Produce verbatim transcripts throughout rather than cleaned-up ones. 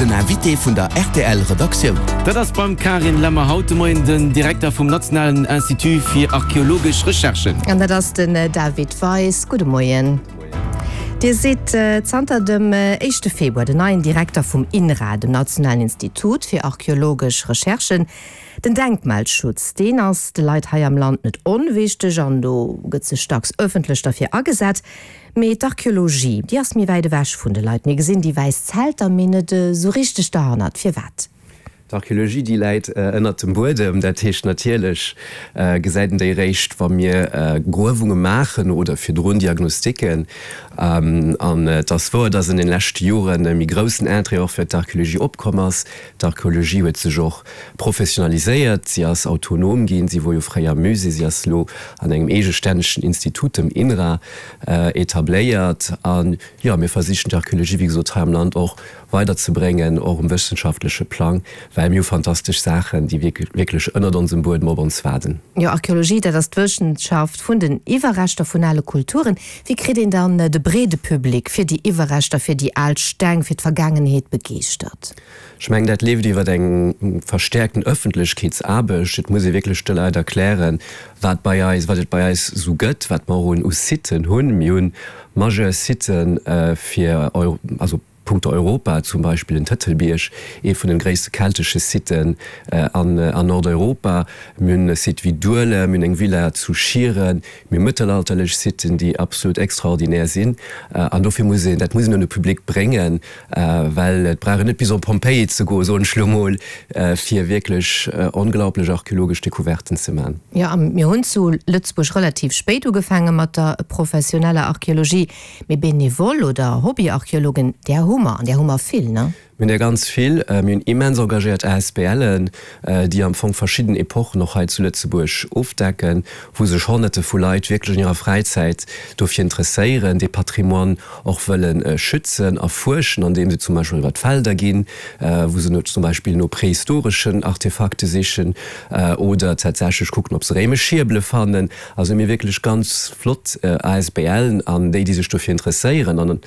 Den Invité vun der R T L Redaktioun. Dat ass beim Karin Lemmer haut de Moien den Direkter vum Nationalen Institut fir archeologesch Recherchen. An dat ass den äh, David Weis. Gudde Moien. Dir sidd äh, zanter dem äh, éischte Februar den neien Direkter vum INRA, dem Nationalen Institut fir archeologesch Recherchen. Den Denkmalschutz, deen ass de Leit hei am Land net onwichteg an do gëtt sech dacks ëffentlech dofir agesat. Mee d'Archeologie, déi ass méi wäit ewech vun de Leit. Mir gesinn déi wäiss Zelter, mee net äh, sou richteg derhannert. Firwat? D'Archeologie, déi läit äh, ënnert dem Buedem, dat heescht natierlech äh, gesäit een déi réischt, wa mir äh, Gruewunge maachen oder virdrun Diagnostiken. Ähm, an äh, dat wor, dass an den leschte Joren e méi groussen Interêt och fir d'Archeologie opkomm ass. D'Archeologie huet sech och professionaliséiert, si ass autonom ginn, si wor jo fréier Musée, si ass lo an engem eegestännegen Institut, dem INRA, äh, etabléiert. An ja, mir versichen d'Archeologie, wéi gesot, hei am Land och weiderzebréngen, och um wëssenschaftleche Plang, well mir hu fantastesch Saachen, déi wierklech ënnert onsem Buedem op ons waarden. Jo, Archeologie, dat ass d'Wëssenschaft vun den Iwwerreschter vun ale Kulturen. Wéi kritt een dann äh, de breede Public fir déi Iwwerreschter, fir déi al Steng, fir d'Vergaangenheet begeeschtert? Ech mengen, dat leeft iwwer eng verstäerkten Ëffentlechkeetsaarbecht. Et muss ee wierklech de Leit erklären, wat bei eis, wat et bei eis sou gëtt, wat mer un u Siten hunn. Mir hunn majeur Siten äh, fir Euro, also punkto Europa, zum Beispill den Tëtelbierg, ee vun de gréisste keltesche Siten äh, an, äh, an Nordeuropa. Mir hunn e Site wéi Duelem, mir hunn eng Villa zu Schieren, mir hu mëttelalterlech Siten, déi absolut extraordinär sinn. Äh, an dofir muss een, dat muss een un de Public bréngen, äh, well et brauch een net bis op Pompeji ze goen, soen ech lo mol, äh, fir wierklech äh, onglaublech archeologesch Decouverten ze maachen. Ja, mir hunn zu Lëtzebuerg relativ spéit ugefaange mat der professioneller Archeologie. Mee Benevol oder Hobbyarcheologen, där hu mer, an där hu mer vill, ne? Mir hunn der ganz vill, äh, mir hunn immens engagéiert A S B Len, äh, déi am Fong verschidden Epochen och hei zu Lëtzebuerg ofdecken, wou sech Honnerte vu Leit wierklech an hirer Fräizäit dofir interesséieren, de Patrimoine och wëllen äh, schützen, erfuerschen, andeem se zum Beispill iwwer d'Felder ginn, äh, wou se zum Beispill no prehistoreschen Artefakte sichen äh, oder tatsächlech kucken, ob se réimesch Schierbele fannen. Also mir wierklech ganz flott äh, A S B Len an déi, déi sech dofir interesséieren. An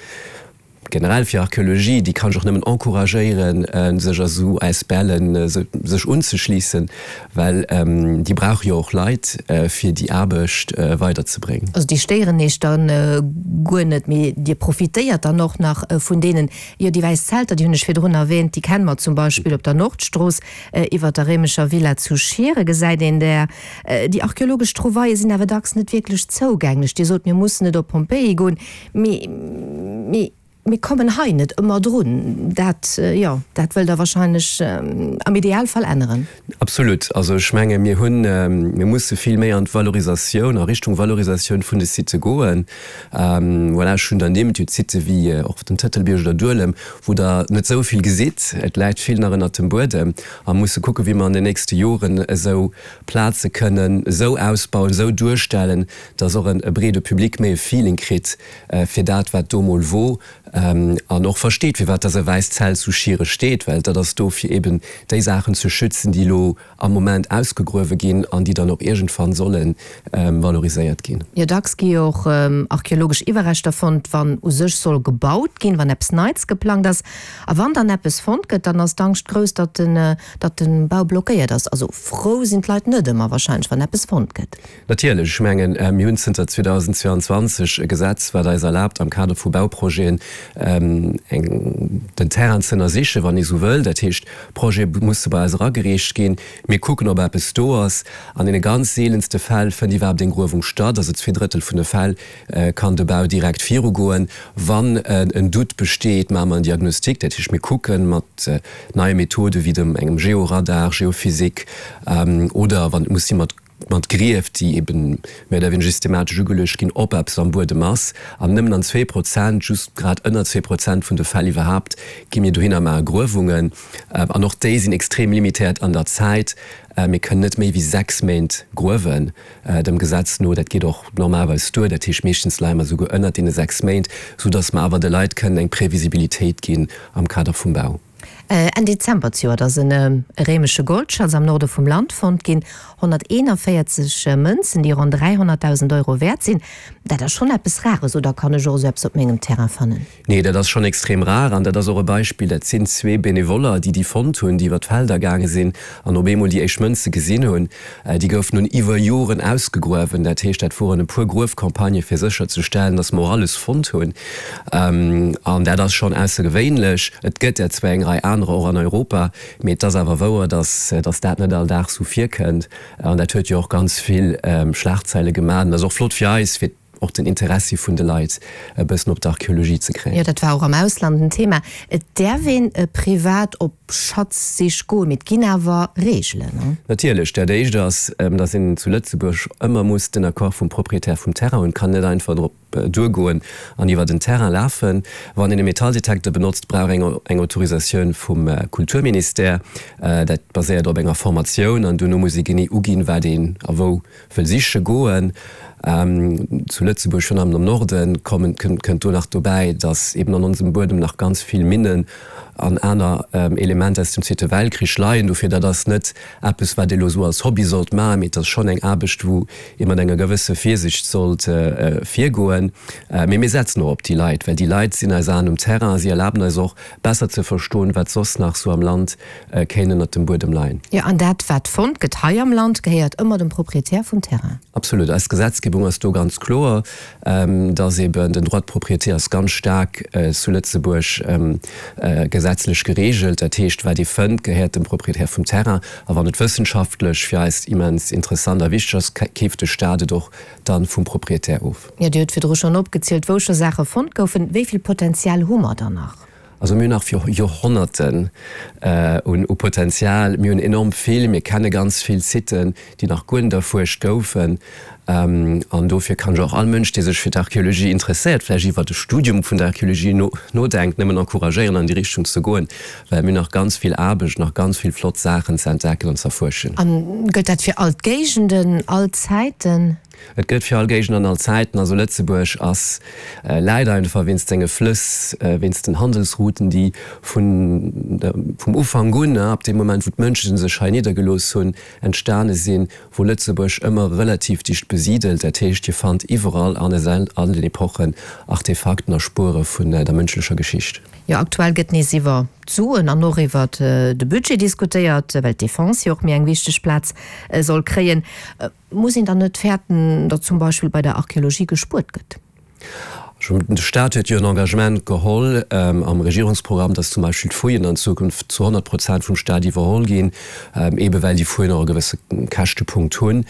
generell fir Archeologie, déi kann ech och nëmmen encouragéieren, äh, sech a sou A S B Len äh, sech unzeschléissen, well ähm, déi brauche jo och Leit äh, fir déi Aarbecht äh, weiderzebréngen. Also déi stéieren iech dann äh, guer net, mee dir profitéiert dann och nach äh, vun deenen. Jo, déi wäiss Zelter, déi hunn ech virdrun erwäänt, déi kenne mer zum Beispill op der Nordstrooss äh, iwwer der réimescher Villa zu Schiere gesäit een der. Äh, déi archeologesch Trouvaillë sinn awer dacks net wierklech zougänglech. Dir sot, mir mussen net op Pompeji goen, mee, mee mir kommen hei net ëmmer drun. Dat äh, ja, dat wëllt der warscheinlech ähm, am Idealfall änneren. Absolut. Also ech menge mir hunn ähm, mir musse vill méi an d'Valorisatioun, a Richtung Valorisatioun vun de Sitë goen. Ähm, voilà, schonn ernimmt jo Sitë wéi äh, och den Tëtelbierg oder Duelem, wou der net sou vill gesitt, et läit vill nach ënnert dem Buedem a musse kucke wéi mer an den nächste Joren esou Plaze kënnen sou ausbauen, sou duerstellen, dass och en e breede Public méi e Feeling kritt äh, fir dat wat do mol wor ähm, an och versteet, firwat dass e wäisst Zelt zu Schiere steet, well dat ass do fir eben déi Saachen ze schützen, déi lo am Moment ausgegruewe ginn an déi dann och iergendwann sollen ähm, valoriséiert ginn. Jo, dacks gi och ähm, archeologesch Iwwerreschter fonnt, wann u sech soll gebaut ginn, wann eppes Neits geplangt ass. A wann dann eppes fonnt gëtt, dann ass d'Angscht grouss, datt den, äh, datt den Bau blockéiert ass. Also frou sinn d'Leit net ëmmer warscheinlech, wann eppes fonnt gëtt. Natierlech, ech mengen äh, mir hunn zënter zweedausendzweianzwanzeg e Gesetz, wat eis erlaabt, am Kader vu Bauprojeten ähm, eng, den Terrain ze ënnersichen, wann ee sou wëll. Dat heescht, Projete musse bei eis eragereecht ginn. Mir kucken, ob eppes do ass. An deene ganz seelenste Fäll fënnt iwwerhaapt eng Gruewung statt, also zwee Drëttel vun de Fäll äh, kann de Bau direkt virugoen. Wann äh, en Doute besteet, maache mer en Diagnostic, dat heescht, mir kucke mat äh, neie Methode wéi dem engem Georadar, Geophysik ähm, oder wann muss si mat mat Grief, déi eben méi oder wéineger systematesch ugeluecht ginn, ob eppes am Buedem ass. An nëmmen an zwee Prozent, just grad ënner zwee Prozent vun de Fäll iwwerhaapt, gi mir dohinner maache Gruewungen. Äh, an och déi sinn extrem limitéiert an der Zäit. Äh, mir kënnen net méi wéi sechs Méint gruewen, äh, dem Gesetz no. Dat geet och normalerweis duer. Dat heescht, meeschtens leie mer souguer ënner deene sechs Méint, soudass mer awer de Leit kënnen eng Previsibilitéit ginn am Kader vum Bau. Enn Dezember zejoert ass en réimesche Goldschatz am Norde vum Land fonnt ginn, honnerteenanvéierzeg Mënzen, déi ronn dräihonnertdausend Euro wäert sinn. Dat ass schonn eppes Rares, oder kann ech och esou eppes op mengem Terrain fannen? Nee, dat ass schonn extrem rar an dat ass och e Beispill. Dat sinn zwee Benevoller, déi déi fonnt hunn, déi iwwer d'Felder gaange sinn an op eemol déi éischt Mënze gesinn hunn. Déi goufen nun iwwer Joren ausgegruewen. Dat heescht, dat woren e puer Gruefcampagnë fir sécherzestellen, datt mer och alles fonnt hunn. An dat ass schonn aussergewéinlech. Et gëtt der zwar eng Rei anerer och an Europa, mee et ass awer wouer, datt datt dat net all Dag sou virkënnt. An dat huet jo och ganz vill Schlagzeile gemaach. An dat ass och flott fir eis, fir och den Interessi vun de Leit e bëssen op d'Archeologie ze kréien. Jo, dat war och am Ausland en Thema. Et däerf een privat op Schatzsich goen, mee et ginn awer Reegelen, ne? Natierlech. Dat Éischt ass, datt een zu Lëtzebuerg ëmmer muss den Accord vum Proprietär vum Terrain hunn. Et kann net einfach drop duergoen an iwwer den Terrain lafen. Wann een e Metalldetekter benotzt, brauch een eng Autorisatioun vum Kulturministère. Dat baséiert op enger Formatioun an duerno muss ee genee uginn, wat een a wou wëll siche goen. Zu Lëtzebuerg, virun allem am Norden, kommen, kënnt do nach dobäi, datt eben an onsem Buedem nach ganz vill Minnen an aner Elementer aus dem Zweete Weltkrich leien. Dofir, dat ass net eppes, wat ee lo sou als Hobby sollt maachen, mee et ass schonn eng Aarbecht, wou ee mat enger gewësse Virsicht sollt virgoen. Mee mir setzen och op déi Leit, well déi Leit sinn eis Aen um Terrain a si erlaben eis och, besser ze verstoen, wat soss nach sou am Land kéint ënnert dem Buedem leien. Jo, an dat, wat fonnt gëtt hei am Land, gehéiert ëmmer dem Proprietär vum Terrain. Absolut. Eis Gesetzgebung ass do ganz kloer, dass eben den Droit de propriété ass ganz staark zu Lëtzebuerg gesetzlech geregelt. Dat heescht, wat ee fënnt, gehéiert dem Proprietär vum Terrain. A wann et wëssenschaftlech fir eis immens interessant a wichteg ass, keeft de Staat et och dann vum Proprietär of. Jo, Dir hutt virdru schonn opgezielt, wou scho Saache fonnt goufen. Wéi vill Potenzial hu mer dann nach? Also mir hunn nach fir Joerhonnerten u Potenzial. Mir hunn enorm vill, mir kenne ganz vill Siten, déi nach guer net erfuerscht goufen. An dofir kann ech och all Mënsch, dee sech fir d'Archeologie interesséiert, vläicht iwwert e Studium vun der Archeologie nodenkt, nëmmen encouragéieren, an déi Richtung ze goen, well mir hunn nach ganz vill Aarbecht, nach ganz vill flott Saachen ze entdecken an z'erfuerschen. A gëllt dat fir all d'Géigenden, all Zäiten? Et gëllt fir all Géigend an all Zäiten. Also Lëtzebuerg ass, läit einfach wéinst senge Flëss, wéinst den Handelsrouten, déi vun vum Ufank un, ab deem Moment wou d'Mënsche sech hei niddergelooss hunn, entstane sinn, wor Lëtzebuerg ëmmer relativ dicht besidelt. Dat heescht, Dir fannt iwwerall an all den Epochen Artefakten a Spuere vun der mënschlecher Geschicht. Jo, aktuell gëtt nees iwwer d'Suen an och iwwer de Budget diskutéiert, well d'Defense jo och méi eng wichteg Plaz soll kréien. Muss een dann net fäerten, datt zum Beispill bei der Archeologie gespuert gëtt? De Staat huet jo en Engagement geholl am Regierungsprogramm, datt zum Beispill d'Fouillen an Zukunft zu honnert Prozent vum Staat iwwerholl ginn, eebe well déi Fouillen och e gewësse Käschtepunkt hunn.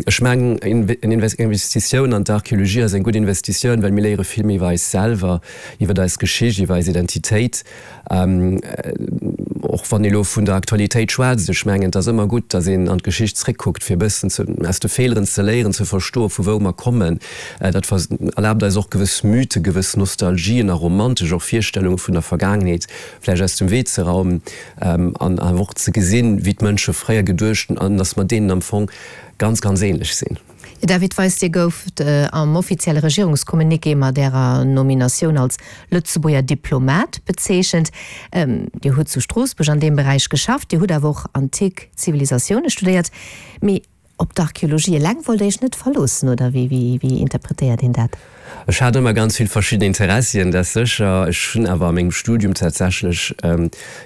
Ech mengen, eng Investitioun an d'Archeologie ass eng gutt Investitioun, well mir léiere vill méi iwwer eis selwer, iwwer eis Geschicht, iwwer eis Identitéit. Och wann ee lo vun der Aktualitéit schwätzt, ech mengen, et ass ëmmer gutt, datt een an d'Geschicht zréckkuckt, fir e bëssen aus de Feeleren ze léieren, ze verstoen, vu wou mer kommen. Dat erlaabt eis och gewëss Mythen, gewëss Nostalgien a romantesch och Virstellunge vun der Vergaangenheet vläicht aus dem Wee ze raumen an awer och ze gesinn, wéi d'Mënsche fréier geduecht hunn an datt mer deenen am Fong ganz, ganz ähnlech sinn. David Weis, Dir gouft am offizielle Regierungscommuniqué mat Ärer Nominatioun als Lëtzebuerger Diplomat bezeechent. Dir hutt zu Stroossbuerg an deem Beräich geschafft, Dir hutt awer och antik Zivilisatioune studéiert. Mee op d'Archeologie eleng wollt Der Iech net verloossen, oder wéi interpretéiert een dat? Ech hat ëmmer ganz vill verschidden Interessien, dat sécher. Ech hunn awer a mengem Studium tatsächlech,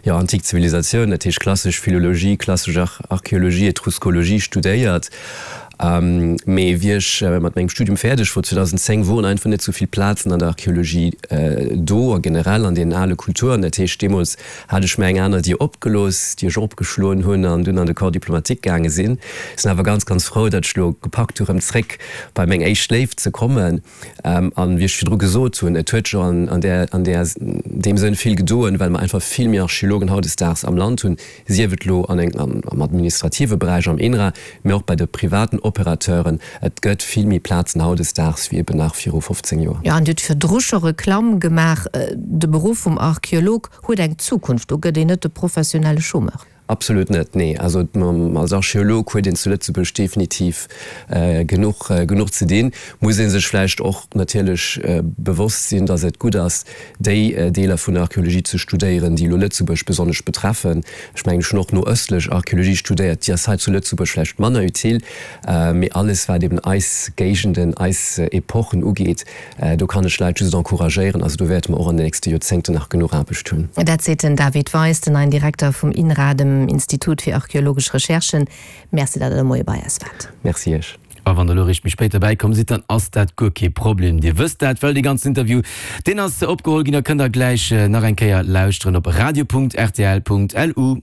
jo, antik Zivilisatioun, dat heescht klassesch Philologie, klassesch Archeologie, Etruskologie studéiert. Mee wéi ech mat mengem Studium fäerdeg wor, zweedausendzéng, woren einfach net sou vill Plazen an der Archeologie do a generell an deenen ale Kulturen. Dat heescht, deemools hat ech mir eng aner Dier opgelooss, déi ech och opgeschloen hunn an dunn an de Corps diplomatique gaange sinn. Sinn awer ganz, ganz frou, datt ech elo gepackt hu rëm zréck bei meng éischt Léift ze kommen. An wéi ech virdru gesot hunn, et huet scho an där, an där, deem Sënn vill gedoen, well mer einfach vill méi Archeologen hautdesdaags am Land hunn, sief et elo an eng, am administrative Beräich am INRA, mee och bei de privaten Operateuren. Et gëtt vill méi Plazen hautdesdaags wéi eben nach viru fofzéng Joer. Jo, an Dir hutt virdru scho Reklamm gemaach, De Beruff vum Archeolog huet eng Zukunft, do gëtt een net de professionelle Chômeur. Absolut net, nee. Also als Archeolog huet een zu Lëtzebuerg definitiv genuch genuch ze dinn. Muss ee sech vläicht och natierlech bewosst sinn, datt et gutt ass, déi Deeler vun der Archeologie ze studéieren, déi elo Lëtzebuerg besonnesch betreffen. Ech mengen, ech hunn och no ëstlech Archeologie studéiert, déi ass hei zu Lëtzebuerg vläicht manner utile, mee alles wat eben eis Géigenden, eis Epochen ugeet, do kann ech Leit just encouragéieren. Also do wäerte mer och an den nächste Joerzéngten nach genuch Aarbecht hunn. Dat seet den David Weis, den neien Direkter vum INRA, dem Institut fir archeologesch Recherchen. Merci, datt Der de Moie bei eis waart. Merci Iech. A wann der elo eréischt méi spéit derbäi komm sidd, dann ass dat guer kee Problem. Dir wësst dat, well dee ganzen Interview, deen ass opgeholl ginn a kënnt der gläich nach eng Kéier lauschteren op radio.rtl.lu.